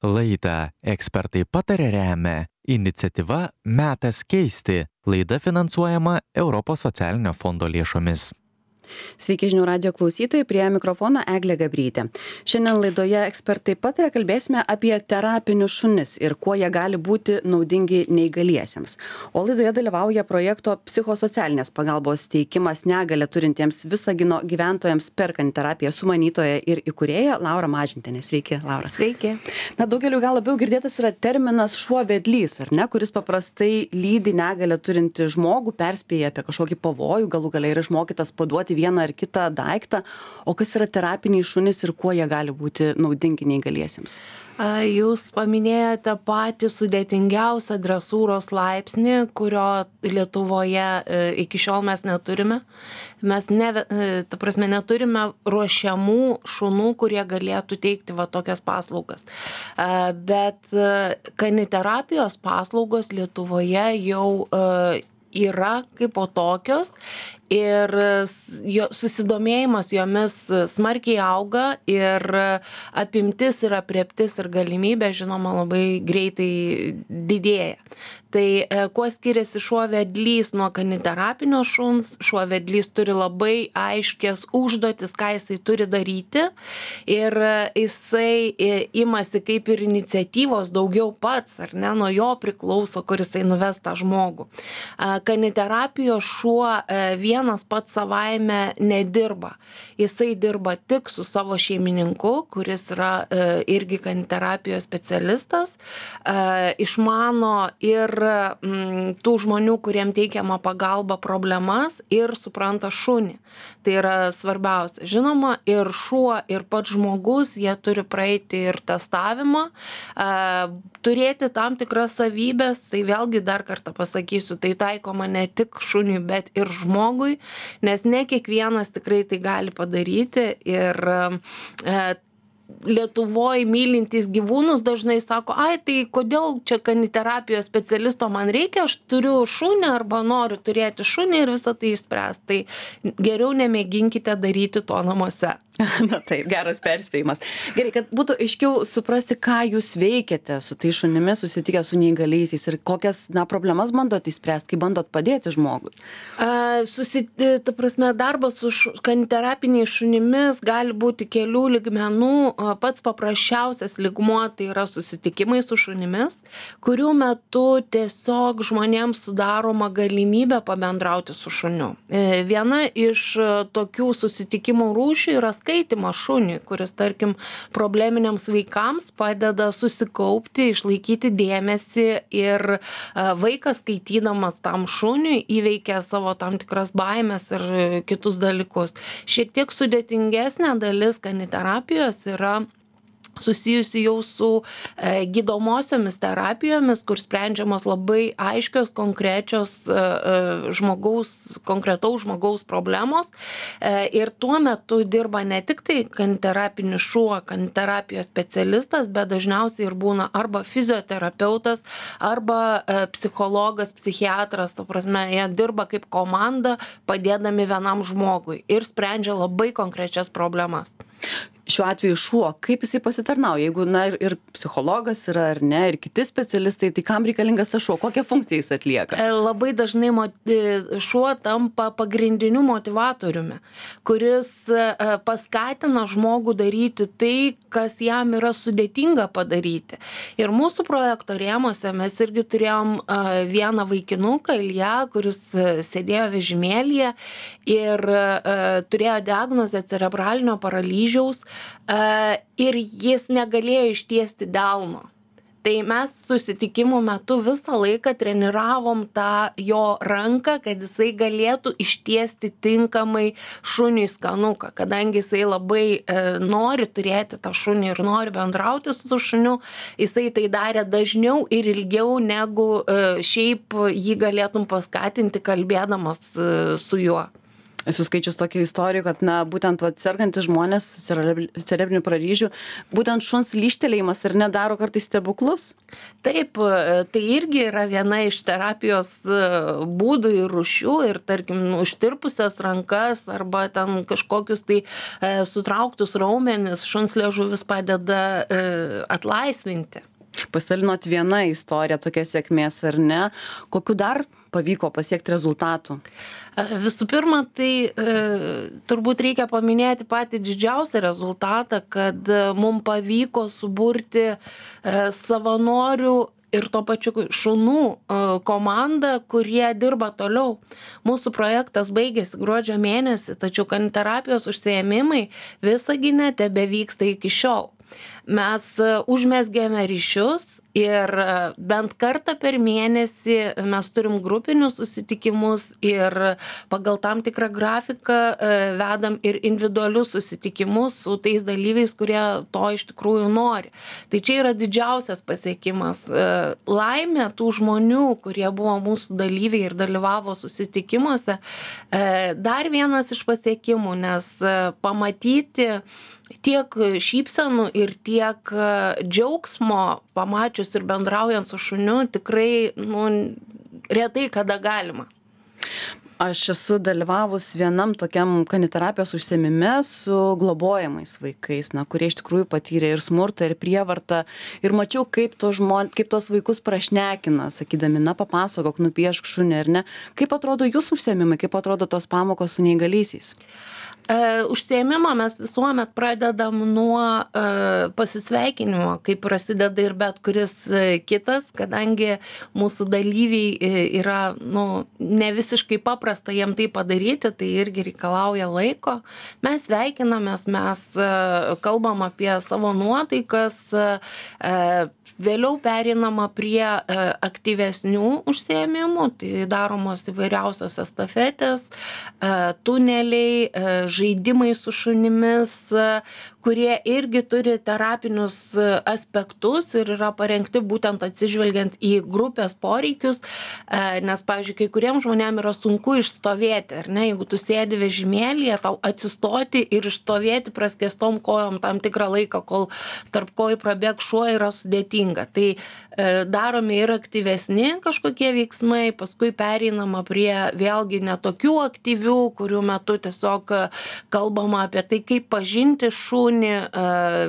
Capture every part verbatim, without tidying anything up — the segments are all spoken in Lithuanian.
Laidą Ekspertai patarė remia iniciatyva Metas keisti. Laida finansuojama Europos socialinio fondo lėšomis. Sveiki žinių radijo klausytojai, prie mikrofono Eglė Gabrytė. Šiandien laidoje Ekspertai patarė kalbėsime apie terapinius šunis ir kuo jie gali būti naudingi neįgaliesiems. O laidoje dalyvauja projekto psichosocialinės pagalbos teikimas negalią turintiems Visagino gyventojams perkant terapiją sumanytoja ir įkūrėja Laura Mažintienė. Sveiki, Laura. Sveiki. Na, daugeliu gal labiau girdėtas yra terminas šuo vedlys, ar ne, kuris paprastai lydi negalią turinti žmogų, perspėja apie kažkokį pavojų, galų gale yra išmokytas paduoti vieną ar kitą daiktą. O kas yra terapiniai šunys ir kuo jie gali būti naudingi neįgaliesiems? Jūs paminėjote patį sudėtingiausią dresūros laipsnį, kurio Lietuvoje iki šiol mes neturime. Mes ne, ta prasme, neturime ruošiamų šunų, kurie galėtų teikti va tokias paslaugas. Bet kaniterapijos paslaugos Lietuvoje jau yra kaip po tokios ir jo, susidomėjimas jomis smarkiai auga ir apimtis ir aprėptis ir galimybė, žinoma, labai greitai didėja. Tai kuo skiriasi šuo vedlys nuo kaniterapinio šuns? Šuo vedlys turi labai aiškias užduotis, ką jisai turi daryti ir jisai imasi kaip ir iniciatyvos daugiau pats, ar ne, nuo jo priklauso, kur jisai nuves tą žmogų. Kaniterapijos šuo vienas pats savaime nedirba. Jisai dirba tik su savo šeimininku, kuris yra irgi kaniterapijos specialistas, išmano ir tų žmonių, kuriem teikiama pagalba problemas ir supranta šunį. Tai yra svarbiausia. Žinoma, ir šuo, ir pats žmogus, jie turi praeiti ir testavimą, turėti tam tikras savybės, tai vėlgi dar kartą pasakysiu, tai taikoma ne tik šuniui, bet ir žmogui, nes ne kiekvienas tikrai tai gali padaryti ir Lietuvoje mylintys gyvūnus dažnai sako, ai, tai kodėl čia kaniterapijos specialisto man reikia, aš turiu šunį arba noriu turėti šunį ir visą tai išspręs. Tai geriau nemėginkite daryti to namuose. Na taip, geras perspėjimas. Gerai, kad būtų aiškiau suprasti, ką jūs veikiate su tai šunimis, susitikę su neįgaliaisiais ir kokias na, problemas bandot įspręsti, kai bandot padėti žmogui. A, susit, ta prasme, darbas su kaniterapiniais šunimis gali būti kelių lygmenų. Pats paprasčiausias lygmuo tai yra susitikimai su šunimis, kurių metu tiesiog žmonėms sudaroma galimybė pabendrauti su šuniu. Viena iš tokių susitikimų rūšių yra skaitymas šuniui, kuris, tarkim, probleminiams vaikams padeda susikaupti, išlaikyti dėmesį ir vaikas skaitydamas tam šuniui įveikia savo tam tikras baimės ir kitus dalykus. Šiek tiek sudėtingesnė dalis kaniterapijos yra susijusi jau su e, gydomosiomis terapijomis, kur sprendžiamos labai aiškios, konkrečios e, žmogaus, konkretaus žmogaus problemos. E, ir tuo metu dirba ne tik tai kaniterapinis šuo, kaniterapijos specialistas, bet dažniausiai ir būna arba fizioterapeutas, arba e, psichologas, psichiatras, ta prasme, jie dirba kaip komanda, padėdami vienam žmogui ir sprendžia labai konkrečias problemas. Šiuo atveju šuo, kaip jisai pasitarnauja, jeigu na, ir, ir psichologas yra ar ne, ir kiti specialistai, tai kam reikalingas tas šuo, kokią funkciją jis atlieka? Labai dažnai šuo tampa pagrindiniu motivatoriumi, kuris paskatina žmogų daryti tai, kas jam yra sudėtinga padaryti. Ir mūsų projekto rėmuose mes irgi turėjom vieną vaikinuką, Ilja, kuris sėdėjo vežimėlyje ir turėjo diagnozę cerebralinio paralyžiaus ir jis negalėjo ištiesti delno. Tai mes susitikimų metu visą laiką treniravom tą jo ranką, kad jisai galėtų ištiesti tinkamai šuniui skanuką, kadangi jisai labai e, nori turėti tą šunį ir nori bendrauti su šuniu, jisai tai darė dažniau ir ilgiau, negu e, šiaip jį galėtum paskatinti kalbėdamas e, su juo. Esu skaičius tokių istorijų, kad, na, būtent vat, sergantys žmonės cerebrinių paralyžių, būtent šuns lyžtelėjimas ir nedaro kartais stebuklus. Taip, tai irgi yra viena iš terapijos būdų ir rūšių ir, tarkim, užtirpusias rankas arba ten kažkokius tai e, sutrauktus raumenis šuns liežuvis padeda e, atlaisvinti. Pasidalinot vieną istoriją tokia sėkmės ar ne? Kokiu dar pavyko pasiekti rezultatų? Visų pirma, tai e, turbūt reikia paminėti patį didžiausią rezultatą, kad mums pavyko suburti e, savanorių ir to pačiu šunų e, komandą, kurie dirba toliau. Mūsų projektas baigėsi gruodžio mėnesį, tačiau kaniterapijos užsiėmimai Visagine tebevyksta iki šiol. Mes užmezgėme ryšius ir bent kartą per mėnesį mes turim grupinius susitikimus ir pagal tam tikrą grafiką vedam ir individualius susitikimus su tais dalyviais, kurie to iš tikrųjų nori. Tai čia yra didžiausias pasiekimas. Laimė tų žmonių, kurie buvo mūsų dalyviai ir dalyvavo susitikimuose, dar vienas iš pasiekimų, nes pamatyti tiek šypsenų ir tiek džiaugsmo pamačius ir bendraujant su šuniu tikrai, nu, retai kada galima. Aš esu dalyvavus vienam tokiam kaniterapijos užsiėmime su globojamais vaikais, na, kurie iš tikrųjų patyrė ir smurtą, ir prievartą. Ir mačiau, kaip, to žmon, kaip tos vaikus prašnekina, sakydami, na, papasakok, nupiešk šunį, ar ne. Kaip atrodo jūsų užsiėmimai, kaip atrodo tos pamokos su neįgaliaisiais? Uh, užsiėmimą mes visuomet pradedam nuo uh, pasisveikinimo, kaip prasideda ir bet kuris uh, kitas, kadangi mūsų dalyviai uh, yra, nu, ne visiškai paprasta jiem tai padaryti, tai irgi reikalauja laiko. Mes sveikinamės, mes uh, kalbam apie savo nuotaikas, uh, uh, vėliau pereinama prie uh, aktyvesnių užsiėmimų, tai daromos įvairiausios estafetės, uh, tuneliai, uh, žaidimai su šunimis, kurie irgi turi terapinius aspektus ir yra parengti būtent atsižvelgiant į grupės poreikius, nes, pavyzdžiui, kai kuriems žmonėms yra sunku išstovėti, ar ne, jeigu tu sėdi vežimėlyje, tau atsistoti ir išstovėti praskėstom kojom tam tikrą laiką, kol tarp kojų prabėg šuo, yra sudėtinga. Tai daromi ir aktyvesni kažkokie veiksmai, paskui pereinama prie vėlgi netokių aktyvių, kurių metu tiesiog kalbama apie tai, kaip pažinti šunį,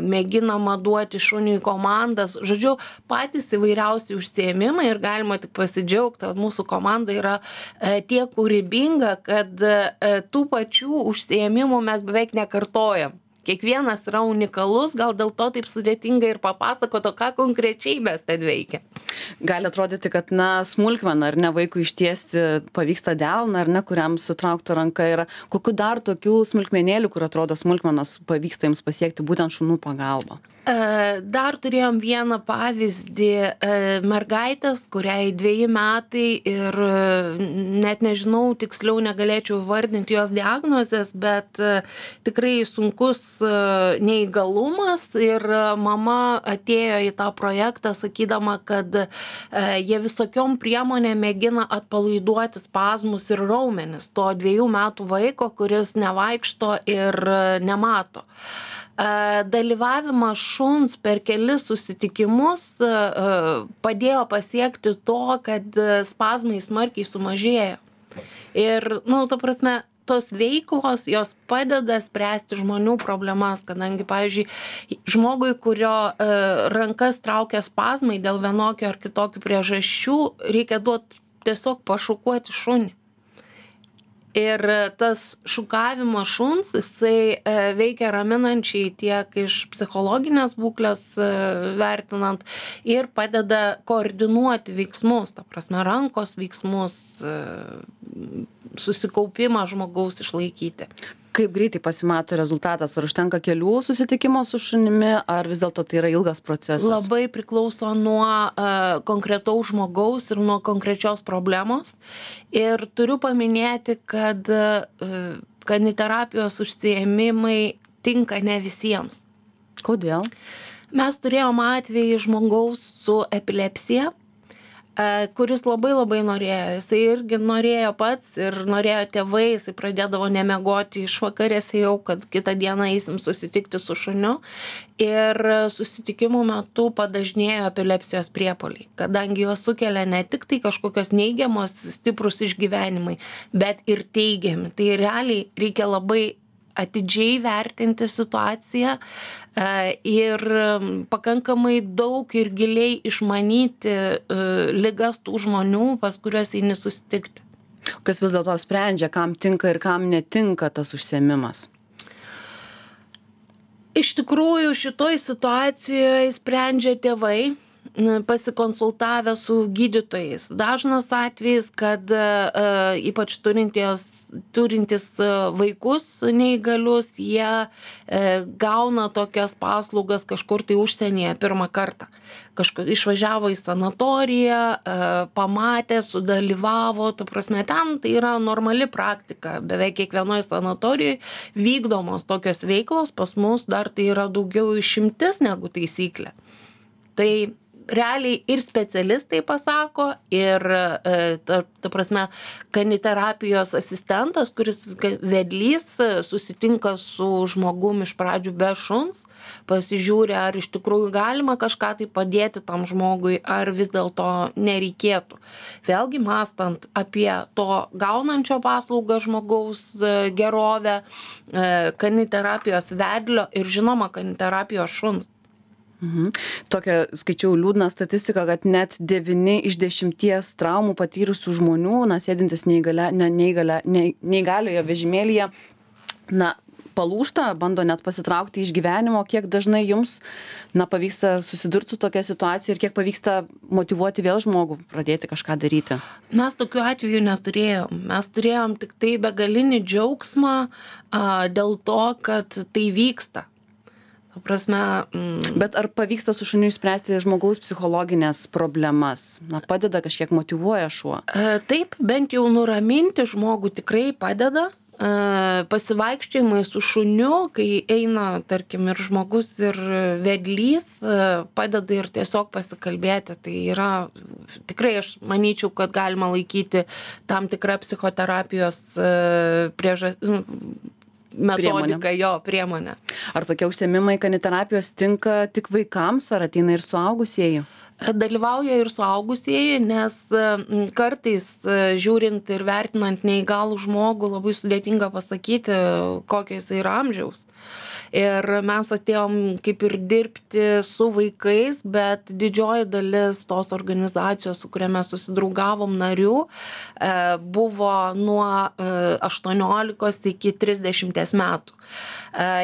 mėginama duoti šuniui komandas. Žodžiu, patys įvairiausi užsiėmimai ir galima tik pasidžiaugti, kad mūsų komanda yra tiek kūrybinga, kad tų pačių užsiėmimų mes beveik nekartojam. Kiekvienas yra unikalus, gal dėl to taip sudėtinga ir papasakoto, ką konkrečiai mes ten veikia. Gali atrodyti, kad, na, smulkmena, ar ne, vaikui ištiesti pavyksta delną, ar ne, kuriam sutraukta ranka yra. Kokiu dar tokių smulkmenėlių, kur atrodo smulkmenos, pavyksta jums pasiekti būtent šunų pagalba? Dar turėjom vieną pavyzdį mergaitės, kuriai dveji metai ir net nežinau, tiksliau negalėčiau vardinti jos diagnozės, bet tikrai sunkus neįgalumas ir mama atėjo į tą projektą sakydama, kad jie visokiom priemonėm mėgina atpalaiduoti spazmus ir raumenis to dviejų metų vaiko, kuris nevaikšto ir nemato. Dalyvavimas šuns per kelis susitikimus padėjo pasiekti to, kad spazmai smarkiai sumažėjo. Ir, nu, ta prasme, tos veiklos, jos padeda spręsti žmonių problemas, kadangi, pavyzdžiui, žmogui, kurio rankas traukia spazmai dėl vienokio ar kitokių priežasčių, reikia duoti tiesiog pašukuoti šunį. Ir tas šukavimas šuns, jisai veikia raminančiai tiek iš psichologinės būklės vertinant ir padeda koordinuoti veiksmus, ta prasme, rankos veiksmus, susikaupimą žmogaus išlaikyti. Kaip greitai pasimato rezultatas? Ar užtenka kelių susitikimo su šunimi, ar vis dėlto tai yra ilgas procesas? Labai priklauso nuo uh, konkretaus žmogaus ir nuo konkrečios problemos. Ir turiu paminėti, kad uh, kaniterapijos užsiėmimai tinka ne visiems. Kodėl? Mes turėjom atvejį žmogaus su epilepsija, kuris labai labai norėjo. Jisai irgi norėjo pats ir norėjo tėvai, jisai pradėdavo nemiegoti išvakarėse jau, kad kitą dieną eisim susitikti su šuniu. Ir susitikimų metu padažnėjo epilepsijos priepuoliai, kadangi juos sukelia ne tik tai kažkokios neigiamos stiprus išgyvenimai, bet ir teigiami. Tai realiai reikia labai atidžiai vertinti situaciją ir pakankamai daug ir giliai išmanyti ligas tų žmonių, pas kuriuos eini susitikti. Kas vis dėlto sprendžia, kam tinka ir kam netinka tas užsiėmimas? Iš tikrųjų, šitoj situacijoje sprendžia tėvai, pasikonsultavę su gydytojais. Dažnas atvejis, kad uh, ypač turintys, turintys vaikus neįgalius, jie uh, gauna tokias paslaugas kažkur tai užsienyje pirmą kartą. Kažkur išvažiavo į sanatoriją, uh, pamatė, sudalyvavo, ta prasme, ten tai yra normali praktika. Beveik kiekvienoje sanatorijoje vykdomos tokios veiklos, pas mus dar tai yra daugiau išimtis negu taisyklė. Tai realiai ir specialistai pasako, ir ta, ta prasme, kaniterapijos asistentas, kuris vedlys, susitinka su žmogum iš pradžių be šuns, pasižiūri, ar iš tikrųjų galima kažką tai padėti tam žmogui, ar vis dėlto nereikėtų. Vėlgi mąstant apie to gaunančio paslaugą žmogaus gerovę, kaniterapijos vedlio ir žinoma kaniterapijos šuns. Mhm. Tokią skaičiau liūdną statistiką, kad net devyni iš dešimties traumų patyrusių žmonių, na, sėdintis neįgalia, ne, neįgalia, ne, neįgaliojo vežimėlyje, na, palūžta, bando net pasitraukti iš gyvenimo. Kiek dažnai jums, na, pavyksta susidurti su tokia situacija ir kiek pavyksta motyvuoti vėl žmogų pradėti kažką daryti? Mes tokių atvejų neturėjom. Mes turėjom tik tai begalinį džiaugsmą a, dėl to, kad tai vyksta. Prasme, mm. Bet ar pavyksta su šuniu išspręsti žmogaus psichologinės problemas? Na, padeda, kažkiek motyvuoja šuo? E, taip, bent jau nuraminti žmogų tikrai padeda. E, pasivaikščiojimai su šuniu, kai eina, tarkim, ir žmogus, ir vedlys, e, padeda ir tiesiog pasikalbėti. Tai yra, tikrai aš manyčiau, kad galima laikyti tam tikrą psichoterapijos e, priežastį. Metodika, jo, priemonė. Ar tokie užsiėmimai kaniterapijos tinka tik vaikams, ar ateina ir suaugusieji? Dalyvauja ir suaugusieji, nes kartais žiūrint ir vertinant neįgalų žmogų labai sudėtinga pasakyti, kokio jis yra amžiaus. Ir mes atėjom kaip ir dirbti su vaikais, bet didžioji dalis tos organizacijos, su kuria mes susidraugavom narių, buvo nuo aštuoniolikos iki trisdešimties metų.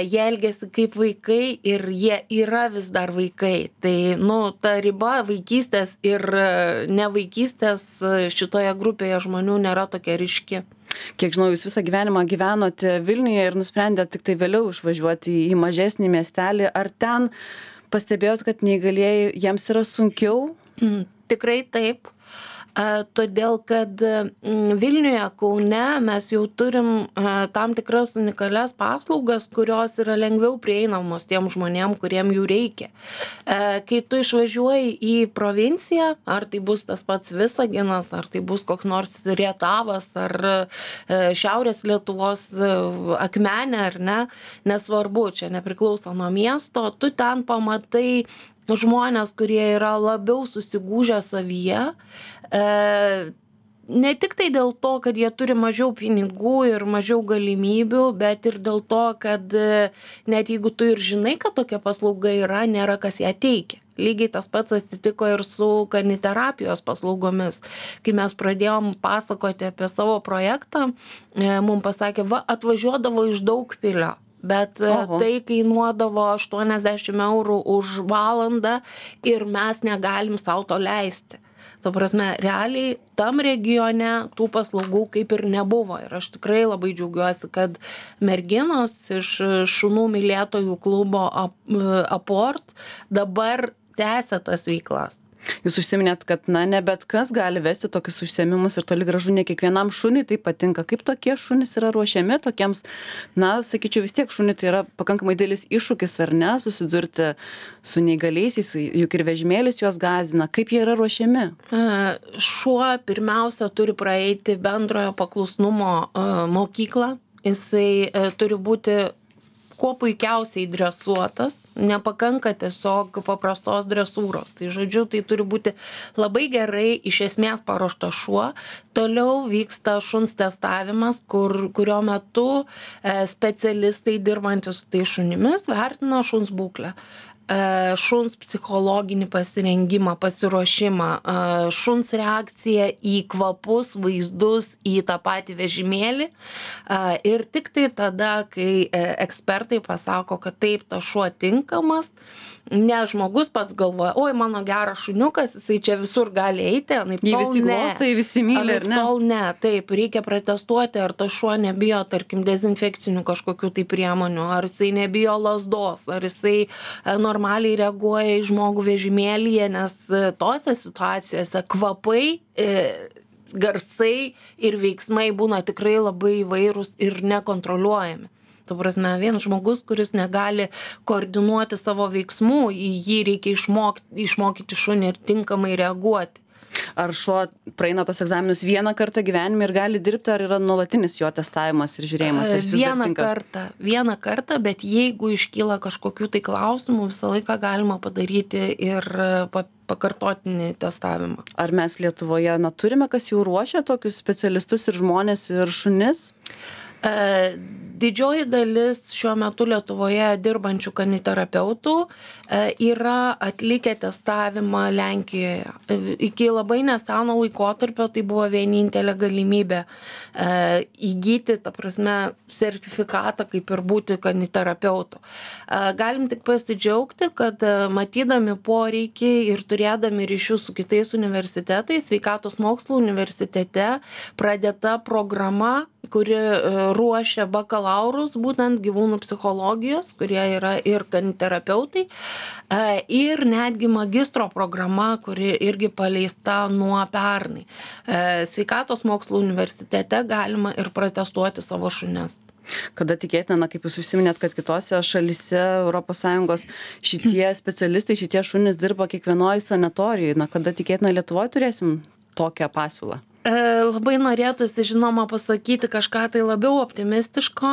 Jie elgiasi kaip vaikai ir jie yra vis dar vaikai. Tai, nu, ta riba vaikystės ir nevaikystės šitoje grupėje žmonių nėra tokia ryški. Kiek žinau, jūs visą gyvenimą gyvenote Vilniuje ir nusprendėte tik tai vėliau išvažiuoti į mažesnį miestelį. Ar ten pastebėjot, kad neįgalieji jiems yra sunkiau? Mm, tikrai taip. Todėl, kad Vilniuje, Kaune mes jau turim tam tikras unikalias paslaugas, kurios yra lengviau prieinamos tiem žmonėm, kuriem jų reikia. Kai tu išvažiuoji į provinciją, ar tai bus tas pats Visaginas, ar tai bus koks nors Rietavas, ar Šiaurės Lietuvos Akmenė, ar ne, nesvarbu, čia nepriklauso nuo miesto, tu ten pamatai žmonės, kurie yra labiau susigūžę savyje, e, ne tik tai dėl to, kad jie turi mažiau pinigų ir mažiau galimybių, bet ir dėl to, kad net jeigu tu ir žinai, kad tokia paslauga yra, nėra kas ją teikia. Lygiai tas pats atsitiko ir su kaniterapijos paslaugomis. Kai mes pradėjom pasakoti apie savo projektą, e, mums pasakė, va, atvažiuodavo iš Daugpilio. Bet Oho. Tai kainuodavo aštuoniasdešimt eurų už valandą ir mes negalim sau to leisti. Ta prasme, realiai tam regione tų paslaugų kaip ir nebuvo. Ir aš tikrai labai džiaugiuosi, kad merginos iš šunų mylėtojų klubo Aport dabar tęsia tas veiklas. Jūs užsiminėt, kad na, ne bet kas gali vesti tokius užsiėmimus ir toli gražu ne kiekvienam šuniui tai patinka. Kaip tokie šunys yra ruošiami tokiems, na, sakyčiau, vis tiek šuniui tai yra pakankamai didelis iššūkis, ar ne, susidurti su neįgaliaisiais, juk ir vežimėlis juos gąsdina. Kaip jie yra ruošiami? Šuo pirmiausia turi praeiti bendrojo paklusnumo mokyklą. Jisai turi būti kuo puikiausiai dresuotas, nepakanka tiesiog paprastos dresūros. Tai žodžiu, tai turi būti labai gerai iš esmės paruoštas šuo. Toliau vyksta šuns testavimas, kur, kurio metu specialistai dirbantis su tai šunimis vertina šuns būklę. Šuns psichologinį pasirengimą, pasiruošimą, šuns reakciją į kvapus, vaizdus, į tą patį vežimėlį. Ir tik tai tada, kai ekspertai pasako, kad taip, tas šuo tinkamas, ne žmogus pats galvoja, oi, mano geras šuniukas, jisai čia visur gali eiti, anaip Jį tol visi ne. glosto, jį visi myli, ar Anaip ne? tol ne, taip, reikia pratestuoti, ar tas šuo nebijo, tarkim, dezinfekcinių kažkokių tai priemonių, ar jisai nebijo lazdos, ar jisai e, normaliai reaguoja į žmogų vežimėlyje, nes e, tose situacijose kvapai, e, garsai ir veiksmai būna tikrai labai įvairūs ir nekontroliuojami. Tu prasme, vienas žmogus, kuris negali koordinuoti savo veiksmų, į jį reikia išmokti, išmokyti šunį ir tinkamai reaguoti. Ar šuo praeina tos egzaminus vieną kartą gyvenime ir gali dirbti, ar yra nuolatinis jo testavimas ir žiūrėjimas? Ar jis vis dar Vieną tinka? kartą, vieną kartą, bet jeigu iškyla kažkokių tai klausimų, visą laiką galima padaryti ir pa- pakartotinį testavimą. Ar mes Lietuvoje, na, turime, kas jau ruošia tokius specialistus ir žmonės ir šunis? E, Didžioji dalis šiuo metu Lietuvoje dirbančių kaniterapeutų e, yra atlikę testavimą Lenkijoje. E, Iki labai neseno laikotarpio tai buvo vienintelė galimybė e, įgyti, ta prasme, sertifikatą, kaip ir būti kaniterapeutu. E, Galim tik pasidžiaugti, kad e, matydami poreikį ir turėdami ryšius su kitais universitetais, Sveikatos mokslų universitete pradėta programa, kuri ruošia bakalaurus būtent gyvūnų psichologijos, kurie yra ir kaniterapeutai, ir netgi magistro programa, kuri irgi paleista nuo pernai. Sveikatos mokslų universitete galima ir pratestuoti savo šunis. Kada tikėtina, na, kaip jūs užsiminėt, kad kitose šalyse Europos Sąjungos šitie specialistai, šitie šunys dirba kiekvienoje sanatorijoje, na, kada tikėtina Lietuvoje turėsim tokią pasiūlą? Labai norėtųsi, žinoma, pasakyti kažką tai labiau optimistiško,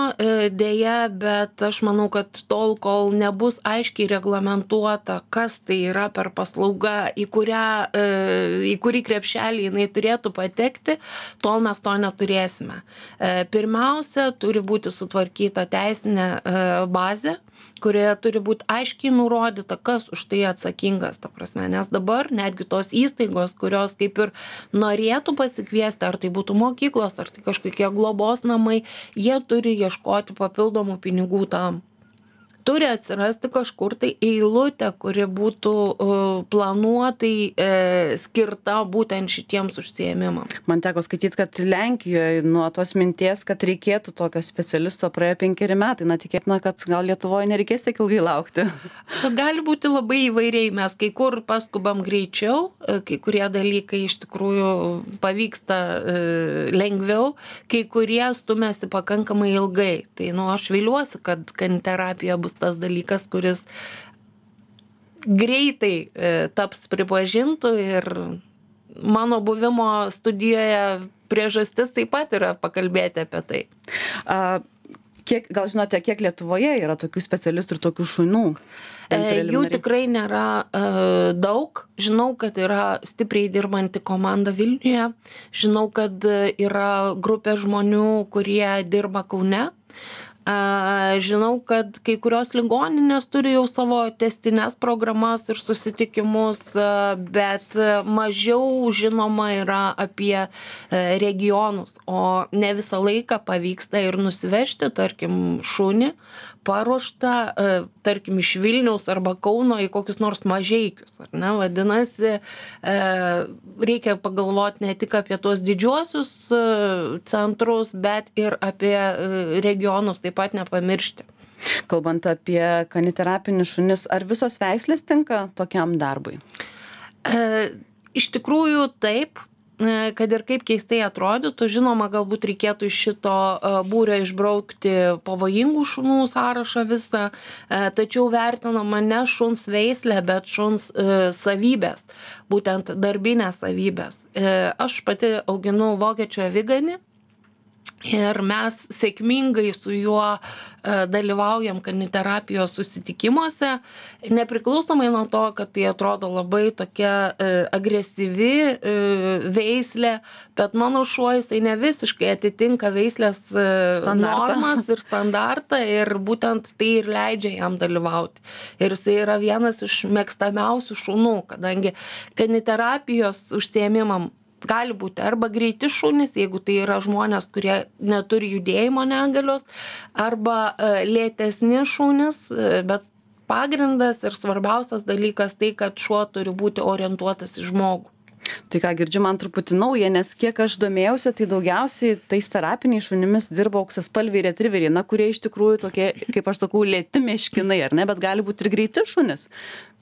dėja, bet aš manau, kad tol, kol nebus aiškiai reglamentuota, kas tai yra per paslauga, į, kurią, į kurį krepšelį jinai turėtų patekti, tol mes to neturėsime. Pirmiausia, turi būti sutvarkyta teisinė bazė, kurioje turi būti aiškiai nurodyta, kas už tai atsakingas, ta prasme, nes dabar netgi tos įstaigos, kurios kaip ir norėtų pasikviesti, ar tai būtų mokyklos, ar tai kažkokie globos namai, jie turi ieškoti papildomų pinigų tam. Turi atsirasti kažkur tai eilutė, kuri būtų uh, planuotai uh, skirta būtent šitiems užsiėmimams. Man teko skaityti, kad Lenkijoje nuo tos minties, kad reikėtų tokio specialisto, praėjo penkeri metai. Na, tikėtina, kad gal Lietuvoje nereikės tiek ilgai laukti. Gali būti labai įvairiai. Mes kai kur paskubam greičiau, kai kurie dalykai iš tikrųjų pavyksta uh, lengviau, kai kurie stumėsi pakankamai ilgai. Tai, nu, aš viliuosi, kad kaniterapija bus tas dalykas, kuris greitai e, taps pripažintų ir mano buvimo studijoje priežastis taip pat yra pakalbėti apie tai. A, kiek, gal žinote, kiek Lietuvoje yra tokių specialistų ir tokių šunų? E, jų tikrai nėra e, daug. Žinau, kad yra stipriai dirbanti komanda Vilniuje. Žinau, kad yra grupė žmonių, kurie dirba Kaune. Žinau, kad kai kurios ligoninės turi jau savo testines programas ir susitikimus, bet mažiau žinoma yra apie regionus, o ne visą laiką pavyksta ir nusivežti, tarkim, šunį paruoštą, tarkim, iš Vilniaus arba Kauno į kokius nors Mažeikius. Ar ne? Vadinasi, reikia pagalvoti ne tik apie tuos didžiuosius centrus, bet ir apie regionus taip pat nepamiršti. Kalbant apie kaniterapinius šunis, ar visos veislės tinka tokiam darbui? E, iš tikrųjų taip, e, kad ir kaip keistai atrodytų, žinoma, galbūt reikėtų iš šito e, būrio išbraukti pavojingų šunų sąrašą visą, e, tačiau vertinama ne šuns veislė, bet šuns e, savybės, būtent darbinės savybės. E, aš pati auginu vokiečių aviganį. Ir mes sėkmingai su juo e, dalyvaujam kaniterapijos susitikimuose, nepriklausomai nuo to, kad tai atrodo labai tokia e, agresyvi e, veislė, bet mano šuo jisai ne visiškai atitinka veislės e, normas ir standartą ir būtent tai ir leidžia jam dalyvauti. Ir jisai yra vienas iš mėgstamiausių šunų, kadangi kaniterapijos užsiėmimam gali būti arba greiti šunys, jeigu tai yra žmonės, kurie neturi judėjimo negalios, arba lėtesni šunys, bet pagrindas ir svarbiausias dalykas tai, kad šuo turi būti orientuotas į žmogų. Tai ką girdžiu, man truputį nauja, nes kiek aš domėjausi, tai daugiausiai tais terapiniais šunimis dirba auksaspalviai retriveriai, na, kurie iš tikrųjų tokie, kaip aš sakau, lėti meškinai, ar ne, bet gali būti ir greiti šunys.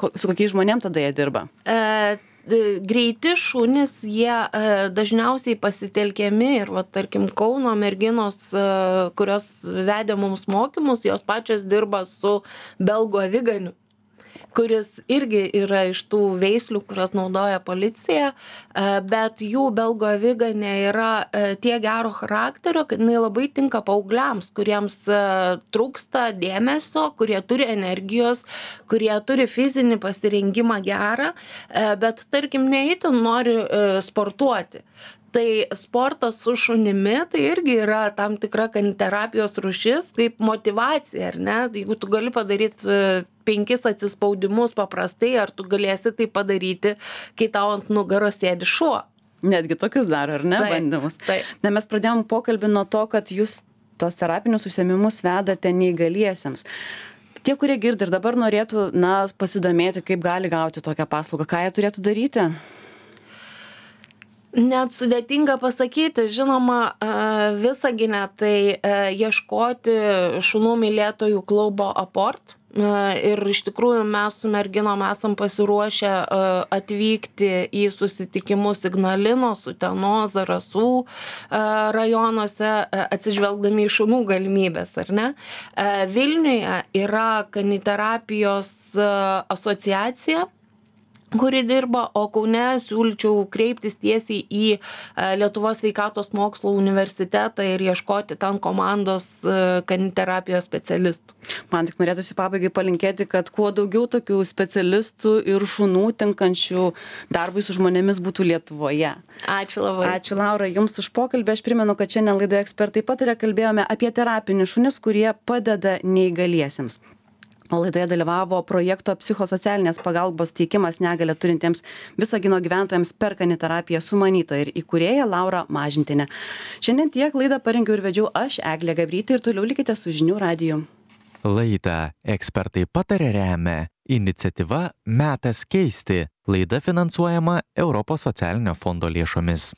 Ko, su kokiais žmonėm tada jie dirba? E... Greiti šunys, jie e, dažniausiai pasitelkiami ir, va, tarkim, Kauno merginos, e, kurios vedė mums mokymus, jos pačios dirba su belgų aviganiu, kuris irgi yra iš tų veislių, kurias naudoja policija, e, bet jų belgų aviganė yra e, tie gero charakterio, kad jinai labai tinka paaugliams, kuriems e, trūksta dėmesio, kurie turi energijos, kurie turi fizinį pasirengimą gerą, e, bet tarkim neįtin nori e, sportuoti. Tai sportas su šunimi, tai irgi yra tam tikra kaniterapijos rūšis, kaip motyvacija, ar ne? Jeigu tu gali padaryti penkis atsispaudimus paprastai, ar tu galėsi tai padaryti, kai tau ant nugaros sėdi šuo. Netgi tokius daro, ar ne, taip, bandymus? Taip. Na, mes pradėjom pokalbį nuo to, kad jūs tos terapinius užsiėmimus vedate neįgaliesiems. Tie, kurie girdi ir dabar norėtų, na, pasidomėti, kaip gali gauti tokią paslaugą, ką jie turėtų daryti? Net sudėtinga pasakyti, žinoma, Visagine tai ieškoti šunų mylėtojų klubo Aport. Ir iš tikrųjų mes su merginom esam pasiruošę atvykti į susitikimus Ignalinos, Utenos, Zarasų rajonuose, atsižvelgdami į šunų galimybės, ar ne? Vilniuje yra kaniterapijos asociacija, kuri dirba, o Kaune siūlyčiau kreiptis tiesiai į Lietuvos sveikatos mokslų universitetą ir ieškoti ten komandos kaniterapijos specialistų. Man tik norėtųsi pabaigai palinkėti, kad kuo daugiau tokių specialistų ir šunų tinkančių darbui su žmonėmis būtų Lietuvoje. Ačiū labai. Ačiū, Laura, jums už pokalbį. Aš primenu, kad šiandien laidoje Ekspertai pataria kalbėjome apie terapinius šunis, kurie padeda neįgaliesiems. O laidoje dalyvavo projekto psichosocialinės pagalbos teikimas negalią turintiems Visagino gyventojams per kaniterapiją sumanytoja ir įkūrėja Laura Mažintienė. Šiandien tiek, laidą parengiau ir vedžiau aš, Eglė Gabrytė, ir toliau likite su Žinių radiju. Laidą Ekspertai pataria remia iniciatyva Metas keisti. Laida finansuojama Europos socialinio fondo lėšomis.